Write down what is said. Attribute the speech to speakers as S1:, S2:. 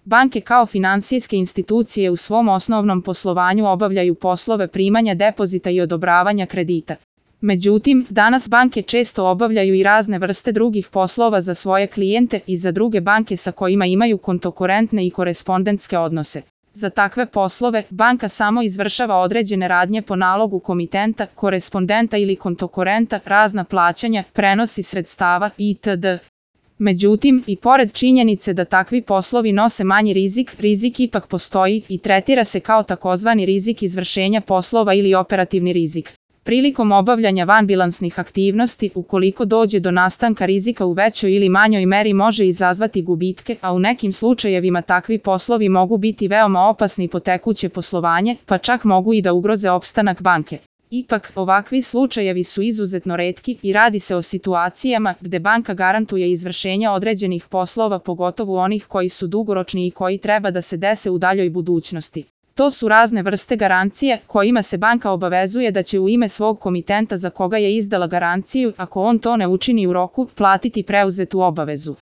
S1: Banke kao finansijske institucije u svom osnovnom poslovanju obavljaju poslove primanja depozita i odobravanja kredita. Međutim, danas banke često obavljaju i razne vrste drugih poslova za svoje klijente i za druge banke sa kojima imaju kontokorentne i korespondentske odnose. Za takve poslove, banka samo izvršava određene radnje po nalogu komitenta, korespondenta ili kontokorenta, razna plaćanja, prenosi sredstava itd. Međutim, i pored činjenice da takvi poslovi nose manji rizik, rizik ipak postoji i tretira se kao takozvani rizik izvršenja poslova ili operativni rizik. Prilikom obavljanja vanbilansnih aktivnosti, ukoliko dođe do nastanka rizika u većoj ili manjoj meri može izazvati gubitke, a u nekim slučajevima takvi poslovi mogu biti veoma opasni po tekuće poslovanje, pa čak mogu i da ugroze opstanak banke. Ipak, ovakvi slučajevi su izuzetno retki i radi se o situacijama gde banka garantuje izvršenje određenih poslova, pogotovo onih koji su dugoročni i koji treba da se dese u daljoj budućnosti. To su razne vrste garancije kojima se banka obavezuje da će u ime svog komitenta za koga je izdala garanciju, ako on to ne učini u roku, platiti preuzetu obavezu.